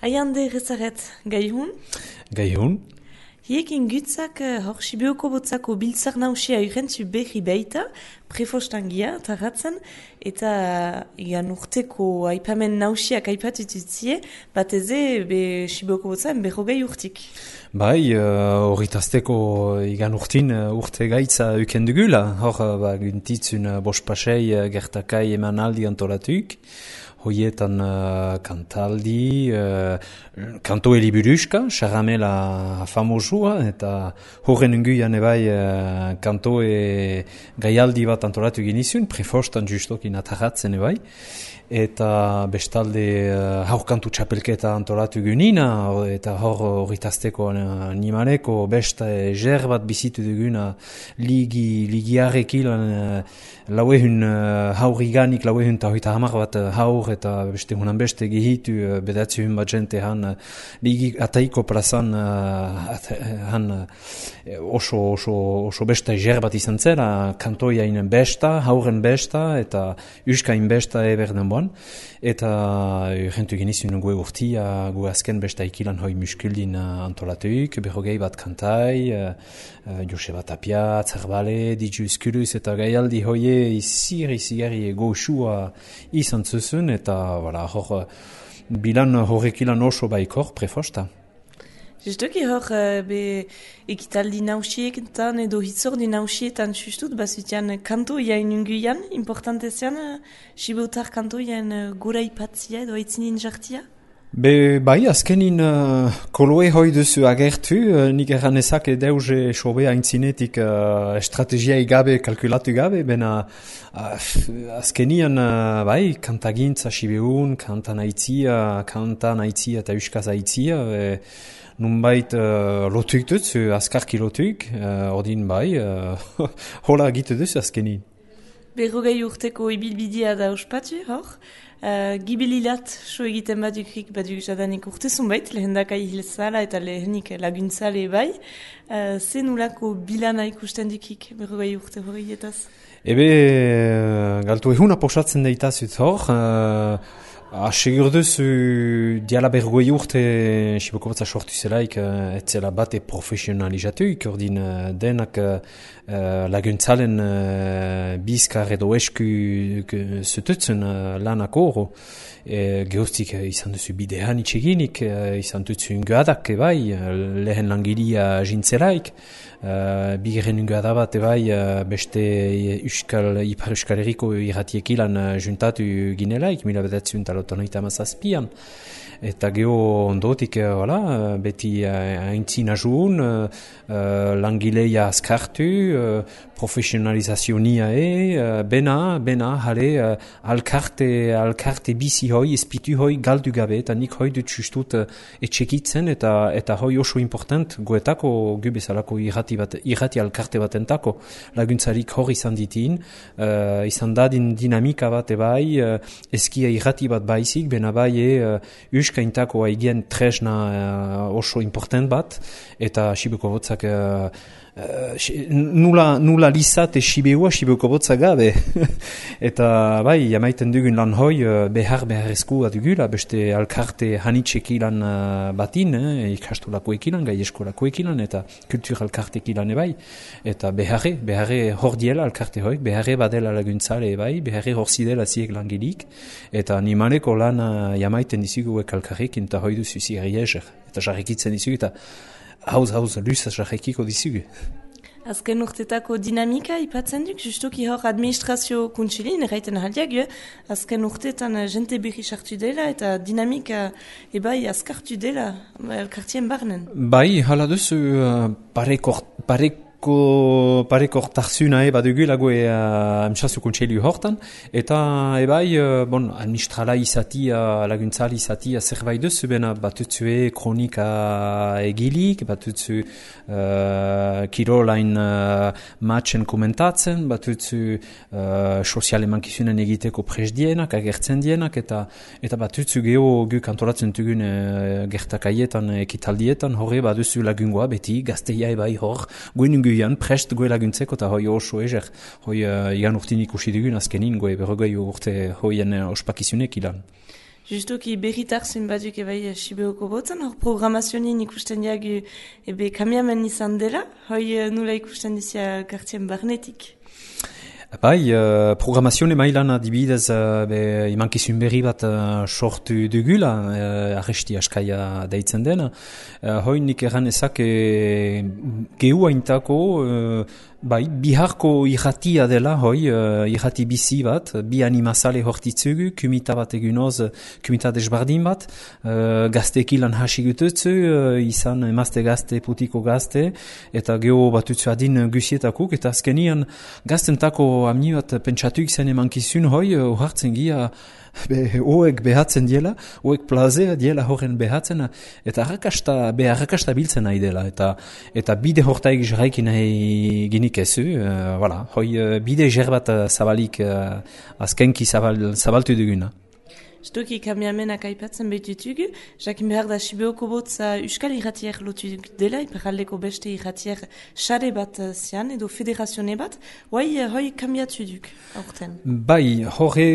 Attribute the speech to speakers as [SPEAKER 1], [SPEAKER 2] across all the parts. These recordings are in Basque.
[SPEAKER 1] Aiande rezaret, gaihun?
[SPEAKER 2] Gaihun?
[SPEAKER 1] Hiekin gutzak hor Sibioko botzako biltzar nausia urentzu berri baita, prefostangia, tarratzen, eta igan urteko aipamen nausiak aipatututzie, bat eze Sibioko botzaren berrogei urtik.
[SPEAKER 2] Bai, horritazteko igan urtin urte gaitza ukendugula, hor guntitzun bospasei gertakai emanaldi antolatuk, hoietan kantaldi, kanto eliburuska, xaramela famosua, eta horren unguian ebai kanto gaialdi bat antolatu ginizun, prefostan justokin atarratzen ebai, eta bestalde haurkantu txapelketa antolatu gunina, eta horritazteko animaleko besta eger bat bizitu duguna ligiarek ilan lauehun hauriganik, lauehun eta hoita hamar bat haur eta beste hunan beste gehitu bedatzehun bat jente han ligi ataiko plazan han oso besta eger bat izan zera, kantoiainen besta, hauren besta eta uskain besta eberden boan. Eta urrentu genizun gue urtia, gue azken besta ikilan hoi muskuldin antolatuik, berrogei bat kantai, Joseba Tapia, Zerbale, Diju Eskuluz eta gaialdi hoie izigarri goxua izan zuzun, eta hor bilan horrekilan oso baikor prefosta.
[SPEAKER 1] Justuki hor ekitaldi nausietan edo hitzordi nausietan sustut, bazutian kanto jain unguian, importante zean, Sibotar kanto jain gura ipatzia edo aitzinin jartia?
[SPEAKER 2] Bai, azkenin koloe hoi duzu agertu, nik erranezak edeuze sobe aintzinetik estrategiai gabe, kalkulatu gabe, bena azkenian bai, kantagintza Sibeun, kantan aitzia eta euskaz aitzia, nunbait lotuik dutzu, azkarki lotuik, ordin bai, hola egitu duzu azkenin.
[SPEAKER 1] Berrogei urteko ibilbidea da ospatu, hor? Gibililat so egiten badukrik baduk jadanik urte zunbait, lehendakai hilzala eta lehenik laguntzale bai. Zen ulako bilana ikusten dukik berrogei urte horietaz?
[SPEAKER 2] Galtu ehuna posatzen deitazut hor, segur duzu diala berrogei urte Siboko batza sortu zelaik etzela bate profesionalizatuik, ordin denak laguntzalen bizkar edo esku zututzen lanako horo. Gehoztik izan duzu bidean itxeginik, izan duzu ungoadak ebai, lehen langilia jintzelaik, bigeren ungoada bat ebai beste Ipar Euskal Herriko irratiek ilan juntatu ginelaik, 1987an. Eta geho ondotik, beti aintzin ajun, langileia azkartu, profesionalizazionia bena, jale, alkarte bizi hoi, espitu hoi galdu gabe, eta nik hoi dut justut etxekitzen, eta hoi oso important, goetako gu bezalako irrati alkarte batentako laguntzarik hor izan ditin, izan dadin dinamika bat ebai, eskia irrati bat baizik, bena bai euskaintako haigien tresna oso important bat, eta Siboko botzak nula lizate Siboko botzak gabe. Eta bai, jamaiten dugun lan hoi beharrezko dugula, beste alkarte hanitxek ilan batin, ikastolako ekilan, gai eskolako ekilan, eta kultur alkartek ilan ebai. Eta beharre hor diela alkarte hoik, beharre badela laguntzale ebai, beharre hor zidela ziek langilik, eta animaleko lan jamaiten dizugu alkarrekin, eta hoi duzu zigari ezer, eta jarrekitzen dizugu, eta hauz, luzaz jarrekiko dizugu.
[SPEAKER 1] Azken urtetako dinamika ipatzen duk, justuki hor administrazio kuntsilin, erraiten aldiak, azken urtetan jente berri sartu dela eta dinamika ebai azkartu dela elkartien barnen. Bai,
[SPEAKER 2] hala duzu pareko tarzuna badugula goe amtsazu kontseilu hortan, eta ebai, administrala izatia, laguntzali izatia zerbait duzu, bena batutzue kronika egilik, batutzu kirolain matchen komentatzen, batutzu sozial emankizunen egiteko presdienak, agertzen dienak, eta batutzu geho guk antolatzen dugun gertakaietan, ekitaldietan, horre baduzu lagungoa beti, gazteia ebai hor, goen guian prest goe laguntzeko eta hoi oso ezer. Hoi igan urtin ikusi dugun azkenin goe berrogei urte hoien ospakizunek ilan.
[SPEAKER 1] Justoki berritarzun batuk ebai Sibeoko botzen, hor programazionin ikusten diagu ebe kamiamen izan dela, hoi nula ikusten dizia kartien barnetik.
[SPEAKER 2] Bai, programazioa mailan adibidez imankizun berri bat sortu dugula, arresti askaia deitzen dena. Hoi nik erran ezak gehu haintako biharko irratia dela, irrati bizi bat, bi animazale hortitzugu, kumita bat egunoz, kumita desbardin bat, gaztekilan hasi gututzu, izan emazte gazte, putiko gazte, eta geho batutzu adin gusietakuk, eta azkenian gaztentako amni bat pentsatu zen emankizun hartzen gia, hoek behatzen diela, hoek plazea diela horren behatzen, eta arrakasta biltzen nahi dela, eta bide hortaik jarraikin nahi ginik ezu, bide jer bat zabalik, azkenki zabaltu duguna.
[SPEAKER 1] Stoki kamiamenak aipatzen behitutugu, jakin behar da Sibeoko botza Euskal Irratier lotu dela, iparaldeko beste irratier sare bat zian, edo federazione bat, hoi kamiatu duk, aurten?
[SPEAKER 2] Bai, horre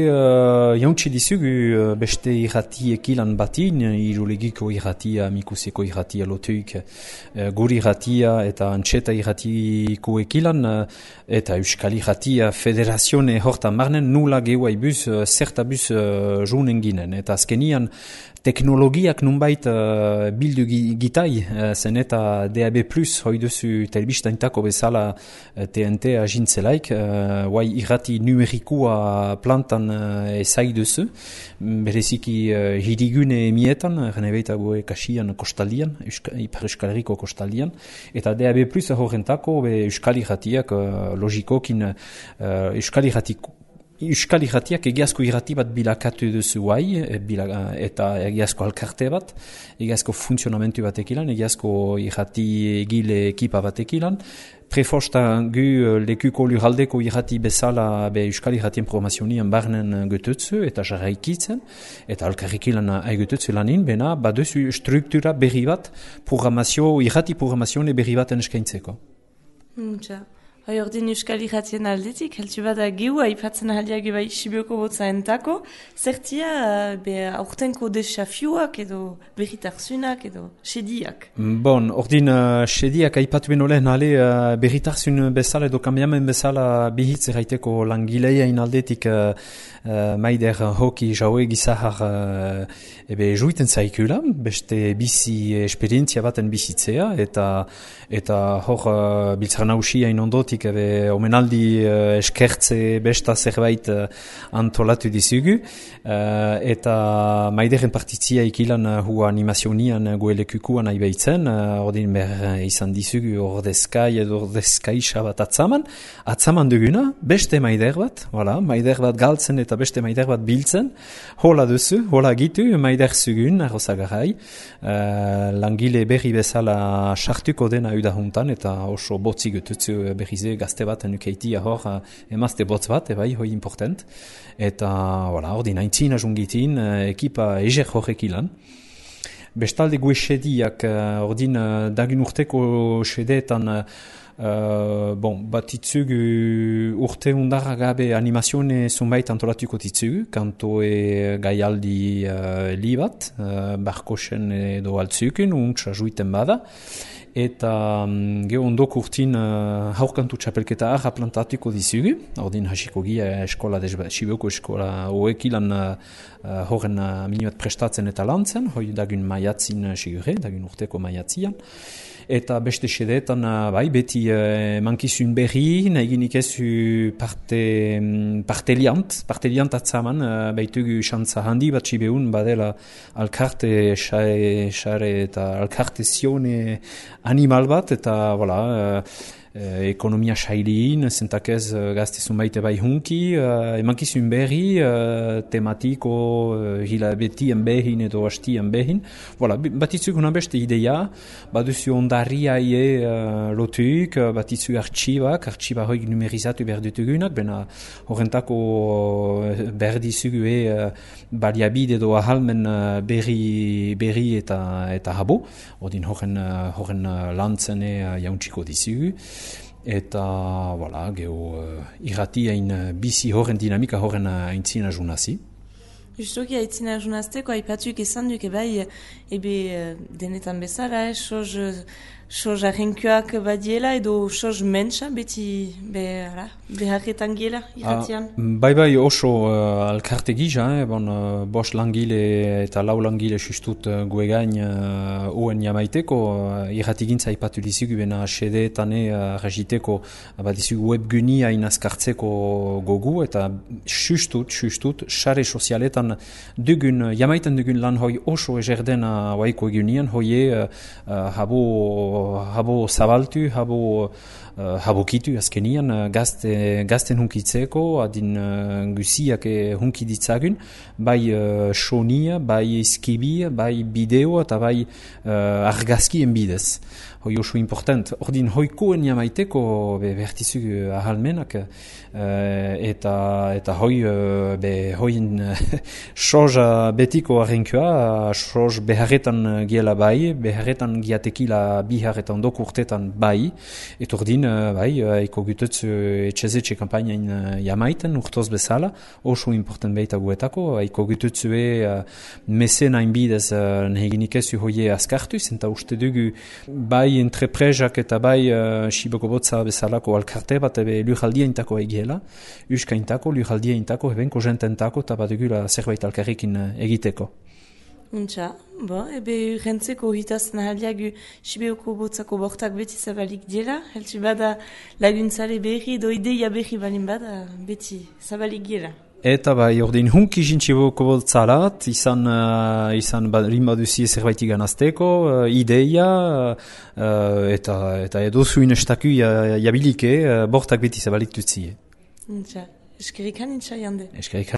[SPEAKER 2] jauntsi dizugu beste irratiek ilan batin, irulegiko irratia, mikuseko irratia lotuik, guri irratia eta antxeta irratiko ekilan, eta Euskal Irratia federazione hortan marnen, nula gehuai buz, zerta buz junen ginen, eta azkenian teknologiak nunbait bildu gitai, zen eta DAB+, hoi duzu telbistaintako bezala TNT agintzelaik, irrati numerikua plantan ezai duzu, bereziki hirigune emietan, renebeita goe kasian kostaldian, Ipar Euskal Herriko kostaldian, eta DAB+, horrentako Euskal Irratiak logikokin Euskal Irratiak egiazko irrati bat bilakatu duzu eta egiazko alkarte bat, egiazko funtzionamentu bat ekilan, egiazko irrati egile ekipa bat ekilan. Prefosta gu lekuko lurraldeko irrati bezala Euskal Irratien programazionian barnen gututzu eta jarraikitzen, eta alkarrikilan aigututzu lanin, bena baduzu struktura berri bat, irrati programazione berri baten eskaintzeko.
[SPEAKER 1] Hoi ordin Euskal Irratien aldetik, heltu bada gehu aipatzen ahaliak bai Sibeoko botza entako, zertia aurtenko desafiuak edo berritarzunak edo sediak?
[SPEAKER 2] Bon, ordin sediak aipatu benolen ale berritarzun bezala edo kambiamen bezala bihitz erraiteko langileain aldetik maider hoki jaue gizahar juiten zaikula, beste bizi esperientzia baten bizitzea, eta hor biltzara nausiain ondotik omenaldi eskertze besta zerbait antolatu dizugu, eta maideren partitzia ikilan hua animazionian goelekukuan aibeitzen, ordin izan dizugu ordezkai edo ordezkaisa bat atzaman duguna, beste maider bat galtzen eta beste maider bat biltzen, hola duzu, hola gitu, maider zugun, arrozagarai, langile berri bezala sartuko dena udahuntan, eta oso botzi gututzu berrize gazte bat nukeitia hor emazte botz bat, hoi important, eta ordin haintzina jungitin, ekipa eger horrek ilan. Bestalde gue sediak, ordin dagun urteko sedeetan, batitzugu urte undarra gabe animazione zunbait antolatuko ditzugu, kantoe gaialdi li bat, barkosen edo altzukun, untsa juiten bada, eta geho ondok urtin haurkantu txapelketa arra plantatuko dizugu, ordin hasiko gia Sibeoko eskola hoekilan horren minuat prestatzen eta lantzen, hoi dagun maiatzin sigure, dagun urteko maiatzian. Eta beste sedeetan beti mankizun berri, nahiginik ezu parteliant atzaman, baitugu xantza handi bat Sibeun badela alkarte xare eta alkarte zione animal bat, eta ekonomia sailin, zentakez gaztezun baite bai hunki, emankizun berri, tematiko, hilabetien behin edo hastien behin. Batitzu guna beste idea, baduzu ondarria lotuik, batitzu artxiba hoik numerizatu behar dutugunak, bena horrentako behar dizugu baliabide edo ahalmen berri eta habo, ordin horren lantzen jauntziko dizugu. Eta, geho, irratien bizi horren dinamika horren aintzina junazi.
[SPEAKER 1] Justoki haitzina junazteko, haipatuik izan duke bai, ebe denetan bezala, soz arrenkoak badiela edo soz mentsa beti beharretan giela irratian.
[SPEAKER 2] Bai, oso alkarte gisa, bos langile eta lau langile sustut guegain uen jamaiteko, irratigintza haipatu dizugu bena sedeetane rajiteko badizugu webguni hain azkartzeko gogu, eta sustut, sare sozialetan jamaiten dugun lan hoi oso ezerdena waiko egunean, hoie habo zabaltu, habo kitu azkenian gazten hunkitzeko, adin guziak hunki ditzagun, bai sonia, bai eskibia, bai bideo eta bai argazkien bidez. Hoi oso important. Ordin hoikoen jamaiteko behertizu ahalmenak eta hoin soja betiko arrenkoa, soj beharretan giela bai, beharretan giatekila biharretan doko urtetan bai, eta ordin eko gutetzu etxezetxe kampainain jamaiten urtoz bezala, oso important behita guetako, eko gutetzu mesenain bidez nehiginik ezu hoie askartuz, eta uste dugu bai entreprezak eta bai Siboko Botza bezalako alkarte bat lujaldia intako egiela, uska intako, lujaldia intako, ebenko jententako, eta bat egula zerbait alkarrekin egiteko.
[SPEAKER 1] Untxa, ebe rentzeko hitaz nahaliagu Siboko Botzako bortak beti zabalik diela, heltsi bada laguntzale berri, edo ideia berri balin bada beti zabalik diela.
[SPEAKER 2] Eta bai, ordin hunki Siboko Botzalat, izan rinbaduzi zerbait iganazteko, ideia, eta edo zuin estaku jabilike, bortak beti zabalik dutzie.
[SPEAKER 1] Eskerrik hanitza jande.